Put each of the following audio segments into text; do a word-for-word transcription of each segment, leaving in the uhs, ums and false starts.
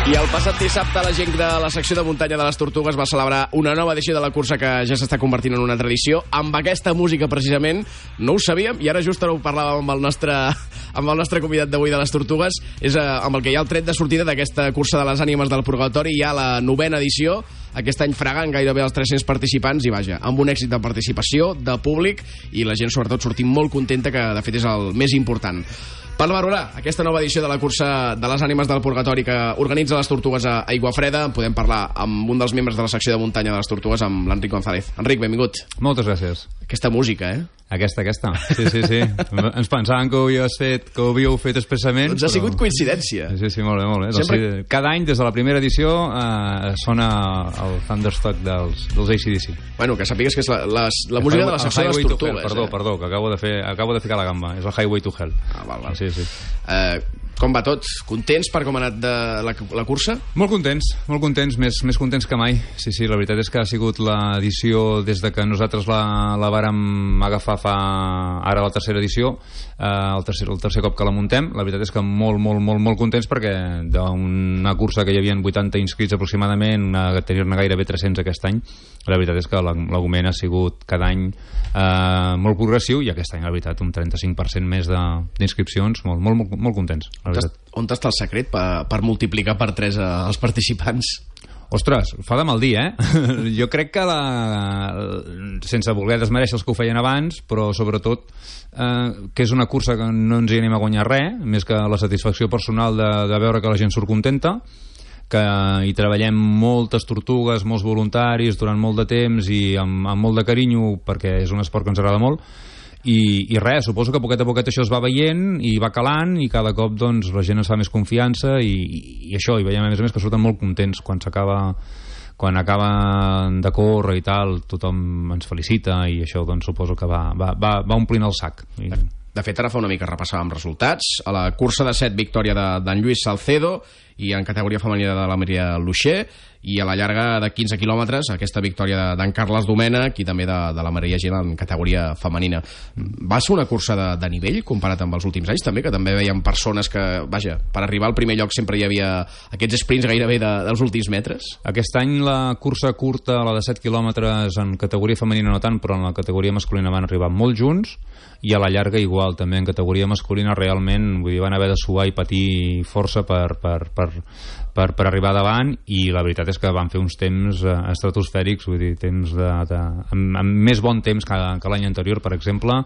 I el passat dissabte la gent de la secció de muntanya de les Tortugues va celebrar una nova edició de la cursa que ja s'està convertint en una tradició amb aquesta música precisament. No ho sabíem i ara just ara ho parlàvem amb el nostre, amb el nostre convidat d'avui de les Tortugues. És amb el que hi ha el tret de sortida d'aquesta cursa de les ànimes del purgatori. Hi ha la novena edició, aquest any fregant gairebé els tres-cents participants i vaja, amb un èxit de participació, de públic i la gent sobretot sortint molt contenta, que de fet és el més important. Per valorar aquesta nova edició de la cursa de les ànimes del purgatori que organitza les Tortugues a Aiguafreda, podem parlar amb un dels membres de la secció de muntanya de les Tortugues, amb l'Enric González. Enric, benvingut. Moltes gràcies. Aquesta música, eh? Aquesta, aquesta. Sí, sí, sí. Ens pensàvem que ho havíeu fet, que ho havíeu fet expressament. Doncs ha però... sigut coincidència. Sí, sí, molt bé, molt bé. Sempre... O sigui, cada any, des de la primera edició, eh, sona el Thunderstruck dels, dels A C D C. Bueno, que sàpigues que és la, la, la música de la secció de les Tortugues. Hell, perdó, eh? perdó, que acabo de, fer, acabo de ficar la gamba. És el Highway to Hell. Ah, val, val. Sí, sí. Eh... Com va tot? Contents per com ha anat de la, la cursa? Molt contents, molt contents, més, més contents que mai. Sí, sí, la veritat és que ha sigut l'edició des de que nosaltres la, la vàrem agafar fa ara la tercera edició, eh, el, tercer, el tercer cop que la muntem. La veritat és que molt, molt, molt, molt contents perquè d'una cursa que hi havia vuitanta inscrits aproximadament, una, tenir-ne gairebé tres-cents aquest any, la veritat és que l'augment ha sigut cada any eh, molt progressiu i aquest any, la veritat, un trenta-cinc per cent més d'inscripcions, molt, molt, molt, molt contents. On està el secret per, per multiplicar per tres els participants? Ostres, fa de mal dir, eh? Jo crec que la... sense voler desmereixer els que ho feien abans, però sobretot eh, que és una cursa que no ens hi anem a guanyar res, més que la satisfacció personal de, de veure que la gent surt contenta, que hi treballem moltes tortugues, molts voluntaris durant molt de temps i amb, amb molt de carinyo, perquè és un esport que ens agrada molt. I, i res, suposo que poquet a poquet això es va veient i va calant i cada cop doncs, la gent es fa més confiança i, i, i això, i veiem a més a més que surten molt contents quan s'acaba quan acaben de córrer i tal, tothom ens felicita i això doncs suposo que va, va, va, va omplint el sac. I... De fet, ara fa una mica repassàvem resultats. A la cursa de set, victòria d'en Lluís Salcedo, i en categoria femenina de la Maria Luixer, i a la llarga de quinze quilòmetres aquesta victòria d'en Carles Domènech i també de, de la Maria Gil en categoria femenina. Va ser una cursa de, de nivell comparat amb els últims anys també, que també veiem persones que, vaja, per arribar al primer lloc sempre hi havia aquests sprints gairebé de, dels últims metres? Aquest any la cursa curta, la de set quilòmetres en categoria femenina no tant, però en la categoria masculina van arribar molt junts, i a la llarga igual, també en categoria masculina realment, vull dir, van haver de suar i patir força per, per, per, per, per arribar davant, i la veritat és que van fer uns temps eh, estratosfèrics, vull dir, temps de, de, amb, amb més bon temps que, que l'any anterior, per exemple,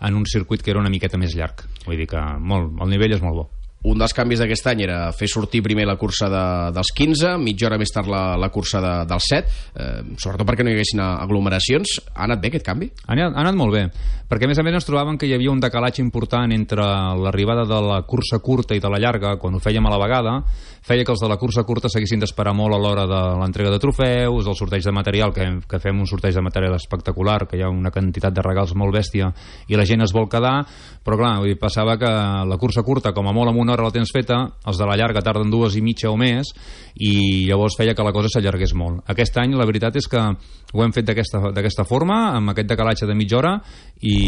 en un circuit que era una miqueta més llarg. Vull dir que molt, el nivell és molt bo. Un dels canvis d'aquest any era fer sortir primer la cursa de, dels quinze, mitja hora més tard la, la cursa de, dels set, eh, sobretot perquè no hi haguessin aglomeracions. Ha anat bé aquest canvi? Ha anat, ha anat molt bé, perquè a més a més ens trobàvem que hi havia un decalatge important entre l'arribada de la cursa curta i de la llarga, quan ho fèiem a la vegada, feia que els de la cursa curta s'haguessin d'esperar molt a l'hora de l'entrega de trofeus, del sorteig de material, que, que fem un sorteig de material espectacular, que hi ha una quantitat de regals molt bèstia i la gent es vol quedar, però clar, vull dir, passava que la cursa curta, com a molt amb una hora la tens feta, els de la llarga tarden dues i mitja o més, i llavors feia que la cosa s'allargués molt. Aquest any la veritat és que ho hem fet d'aquesta forma, amb aquest decalatge de mitja hora, i,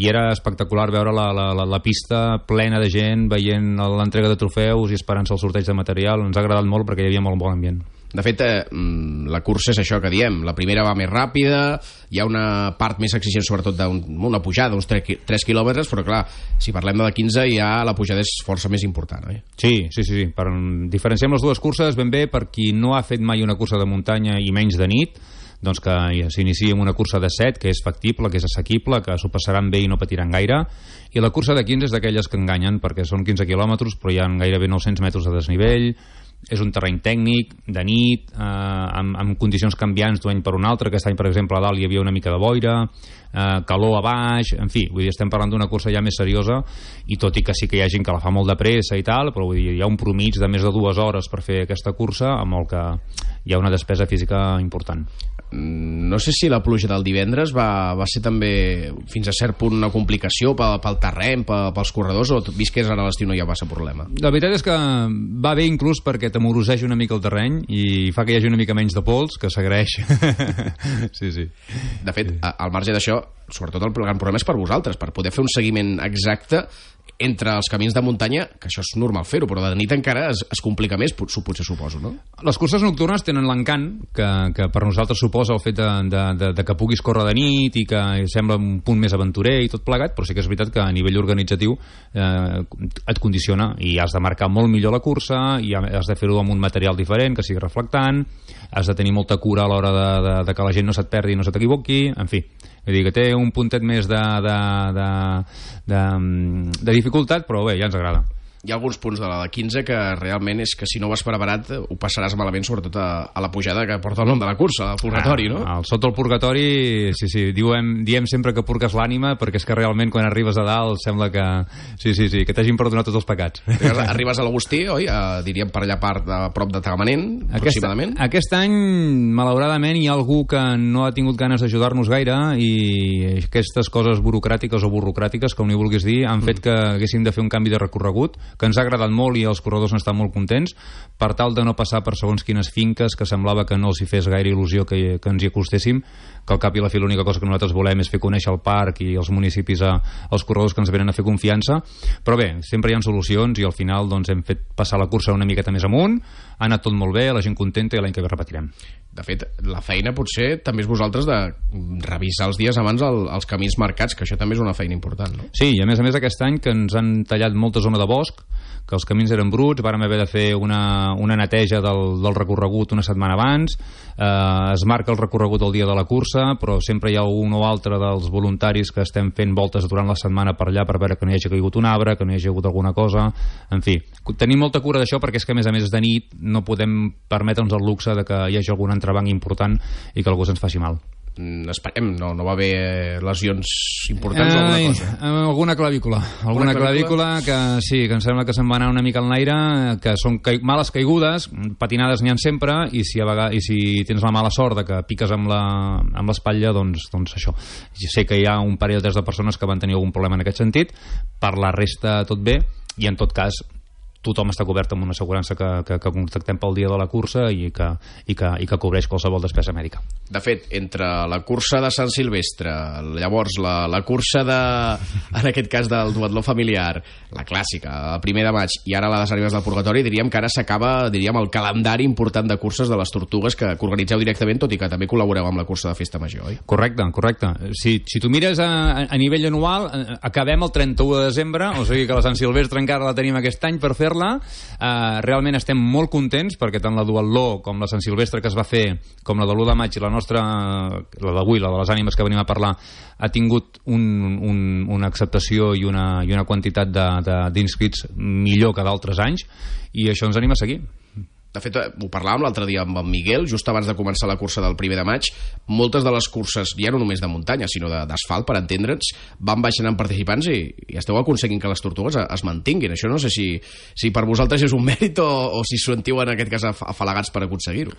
i era espectacular veure la, la, la, la pista plena de gent veient l'entrega de trofeus i esperant-se el sorteig de material. Ens ha agradat molt perquè hi havia molt bon ambient. De fet, eh, la cursa és això que diem. La primera va més ràpida, hi ha una part més exigent, sobretot d'una pujada, uns tres quilòmetres, però clar, si parlem de la quinze ja la pujada és força més important. Eh? Sí, sí, sí, sí. Per diferenciem les dues curses ben bé, per qui no ha fet mai una cursa de muntanya i menys de nit, doncs que s'iniciï amb una cursa de set, que és factible, que és assequible, que s'ho passaran bé i no patiran gaire, i la cursa de quinze és d'aquelles que enganyen, perquè són quinze quilòmetres, però hi ha gairebé nou-cents metres de desnivell, és un terreny tècnic, de nit, eh, amb, amb condicions canviants d'un any per un altre. Aquest any, per exemple, a dalt hi havia una mica de boira, eh, calor a baix, en fi, vull dir, estem parlant d'una cursa ja més seriosa, i tot i que sí que hi ha gent que la fa molt de pressa i tal, però vull dir, hi ha un promig de més de dues hores per fer aquesta cursa, amb el que hi ha una despesa física important. No sé si la pluja del divendres va, va ser també fins a cert punt una complicació pel, pel terreny, pel, pels corredors, o vist que és ara l'estiu no hi ha massa problema? La veritat és que va bé inclús perquè t'amoroseix una mica el terreny i fa que hi hagi una mica menys de pols, que s'agraeix. Sí, sí. De fet, al marge d'això, sobretot el gran problema és per vosaltres, per poder fer un seguiment exacte entre els camins de muntanya, que això és normal fer-ho, però de nit encara es, es complica més, potser suposo, no? Les curses nocturnes tenen l'encant que, que per nosaltres suposa el fet de, de, de, de que puguis córrer de nit i que sembla un punt més aventurer i tot plegat, però sí que és veritat que a nivell organitzatiu eh, et condiciona i has de marcar molt millor la cursa i has de fer-ho amb un material diferent que sigui reflectant, has de tenir molta cura a l'hora de, de, de que la gent no se't perdi i no se t'equivoqui, en fi. Vull dir que té un puntet més de, de, de, de, de dificultat, però bé, ja ens agrada. Hi ha alguns punts de la quinze que realment és que si no vas preparat ho passaràs malament, sobretot a, a la pujada que porta el nom de la cursa, el purgatori, no? Ah, el sota el purgatori, sí, sí, diem, diem sempre que purgues l'ànima, perquè és que realment quan arribes a dalt sembla que sí, sí, sí, que t'hagin perdonat tots els pecats. Arribes a l'Agustí, oi? A, diríem per allà part a prop de Tagamanent, aquest, aproximadament. Aquest any, malauradament, hi ha algú que no ha tingut ganes d'ajudar-nos gaire i aquestes coses burocràtiques o burocràtiques, com n'hi vulguis dir, han fet que haguéssim de fer un canvi de recorregut, que ens ha agradat molt i els corredors han estat molt contents, per tal de no passar per segons quines finques que semblava que no els hi fes gaire il·lusió que, que ens hi acostéssim, que al cap i a la fi l'única cosa que nosaltres volem és fer conèixer el parc i els municipis a, als corredors que ens venen a fer confiança, però bé, sempre hi ha solucions i al final doncs, hem fet passar la cursa una miqueta més amunt, ha anat tot molt bé, la gent contenta i l'any que ve repetirem. De fet, la feina potser també és vosaltres de revisar els dies abans el, els camins marcats, que això també és una feina important, no? Sí, i a més a més aquest any que ens han tallat molta zona de bosc, que els camins eren bruts, vàrem haver de fer una, una neteja del, del recorregut una setmana abans, eh, es marca el recorregut el dia de la cursa, però sempre hi ha un o altre dels voluntaris que estem fent voltes durant la setmana per allà per veure que no hi hagi caigut un arbre, que no hi hagi hagut alguna cosa, en fi. Tenim molta cura d'això perquè és que a més a més de nit no podem permetre'ns el luxe de que hi hagi algun entrebanc important i que algú se'ns faci mal. Esperem, no, no va haver lesions importants o alguna cosa? Alguna clavícula, alguna clavícula que sí, que em sembla que se'n va anar una mica en l'aire, que són ca males caigudes, patinades n'hi ha sempre, i si, a vegades, i si tens la mala sort de que piques amb l'espatlla, doncs, doncs això. Jo sé que hi ha un parell o tres de persones que van tenir algun problema en aquest sentit, per la resta tot bé, i en tot cas tothom està cobert amb una assegurança que, que, que contactem pel dia de la cursa i que, i que, i que cobreix qualsevol despesa mèdica. De fet, entre la cursa de Sant Silvestre, llavors la, la cursa de, en aquest cas del duatló familiar, la clàssica, el primer de maig, i ara la de Sant Ribes del Purgatori, diríem que ara s'acaba, diríem, el calendari important de curses de les Tortugues que, que organitzeu directament, tot i que també col·laboreu amb la cursa de Festa Major, oi? Correcte, correcte. Si, si tu mires a, a nivell anual, acabem el trenta-u de desembre, o sigui que la Sant Silvestre encara la tenim aquest any per fer Uh, realment estem molt contents perquè tant la duatló com la Sant Silvestre que es va fer, com la de l'u de maig i la nostra, la d'avui, la de les ànimes que venim a parlar, ha tingut un, un, una acceptació i una, i una quantitat d'inscrits millor que d'altres anys i això ens anima a seguir. De fet, ho parlàvem l'altre dia amb en Miguel, just abans de començar la cursa del primer de maig. Moltes de les curses, ja no només de muntanya, sinó d'asfalt, per entendre'ns, van baixant en participants i, i esteu aconseguint que les Tortugues es mantinguin. Això no sé si, si per vosaltres és un mèrit o, o si sentiu en aquest cas afalagats per aconseguir-ho.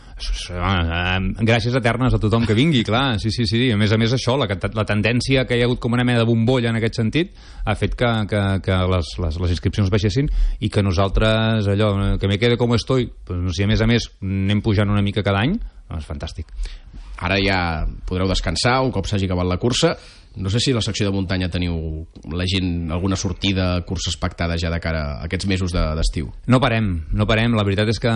Gràcies eternes a tothom que vingui, clar. Sí, sí, sí. A més a més, això, la, la tendència que hi ha hagut com una mena de bombolla en aquest sentit ha fet que, que, que les, les, les inscripcions baixessin i que nosaltres, allò, que me quede com estoy, pues, si a més a més anem pujant una mica cada any, doncs és fantàstic. Ara ja podreu descansar un cop s'hagi acabat la cursa. No sé si a la secció de muntanya teniu la gent alguna sortida, curses pactades ja de cara a aquests mesos d'estiu. No parem, no parem. La veritat és que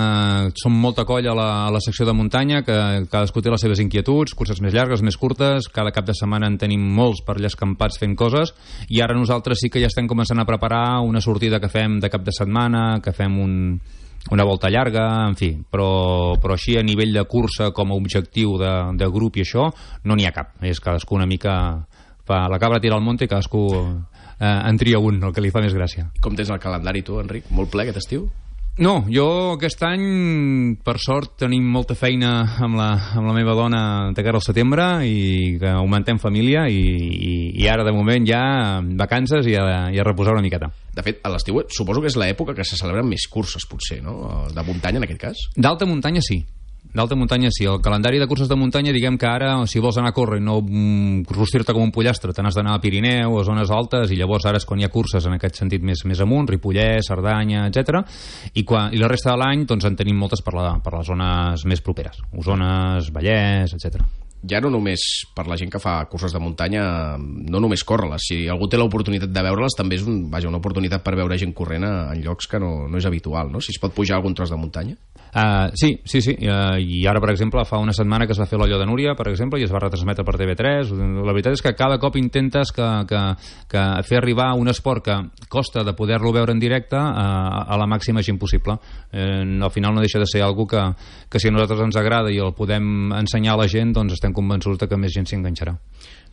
som molta colla a la, a la secció de muntanya, que cadascú té les seves inquietuds, curses més llargues, més curtes, cada cap de setmana en tenim molts per allà escampats fent coses, i ara nosaltres sí que ja estem començant a preparar una sortida que fem de cap de setmana, que fem un una volta llarga, en fi, però, però així a nivell de cursa com a objectiu de, de grup i això, no n'hi ha cap. És cadascú una mica fa la cabra tira al monte i cadascú eh, en tria un, el que li fa més gràcia. Com tens el calendari tu, Enric? Molt ple aquest estiu? No, jo aquest any, per sort, tenim molta feina amb la, amb la meva dona de cara al setembre i que augmentem família i, i, i ara, de moment, ja vacances i a, i a reposar una miqueta. De fet, a l'estiu suposo que és l'època que se celebren més curses, potser, no? De muntanya, en aquest cas? D'alta muntanya, sí. D'alta muntanya, sí. El calendari de curses de muntanya, diguem que ara, si vols anar a córrer i no mm, rostir-te com un pollastre, te n'has d'anar a Pirineu, a zones altes, i llavors ara és quan hi ha curses en aquest sentit més, més amunt, Ripollès, Cerdanya, etcètera. I, quan, i la resta de l'any doncs, en tenim moltes per, la, per les zones més properes. Osones, Vallès, etcètera. Ja no només per la gent que fa curses de muntanya, no només córrer-les. Si algú té l'oportunitat de veure-les, també és un, vaja, una oportunitat per veure gent corrent en llocs que no, no és habitual, no? Si es pot pujar algun tros de muntanya. Uh, sí, sí, sí. Uh, I ara, per exemple, fa una setmana que es va fer l'Allò de Núria, per exemple, i es va retransmetre per T V tres. La veritat és que cada cop intentes que, que, que fer arribar un esport que costa de poder-lo veure en directe a, a la màxima gent possible. Eh, al final no deixa de ser algo que, que si a nosaltres ens agrada i el podem ensenyar a la gent, doncs estem convençuts que més gent s'hi enganxarà.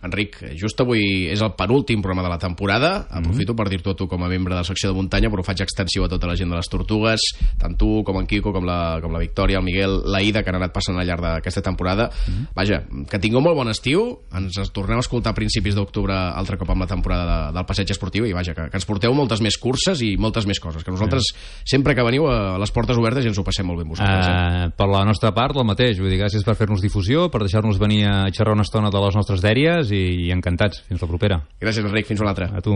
Enric, just avui és el penúltim programa de la temporada. Aprofito mm-hmm. per dir-t'ho a tu com a membre de la secció de muntanya, però ho faig extensiu a tota la gent de les Tortugues, tant tu com en Quico, com la, com la Victòria, el Miguel, la Ida, que han anat passant al llarg d'aquesta temporada. Mm-hmm. Vaja, que tingueu molt bon estiu. Ens tornem a escoltar a principis d'octubre altre cop amb la temporada de, del passeig esportiu i vaja, que, que ens porteu moltes més curses i moltes més coses, que nosaltres mm. sempre que veniu a les portes obertes i ens ho passem molt bé amb vosaltres. Eh? Uh, per la nostra part, el mateix. Vull dir, gràcies per fer-nos difusió, per deixar-nos venir a xerrar una estona de les nostres dèries i encantats. Fins la propera. Gràcies, Enric. Fins una altra. A tu.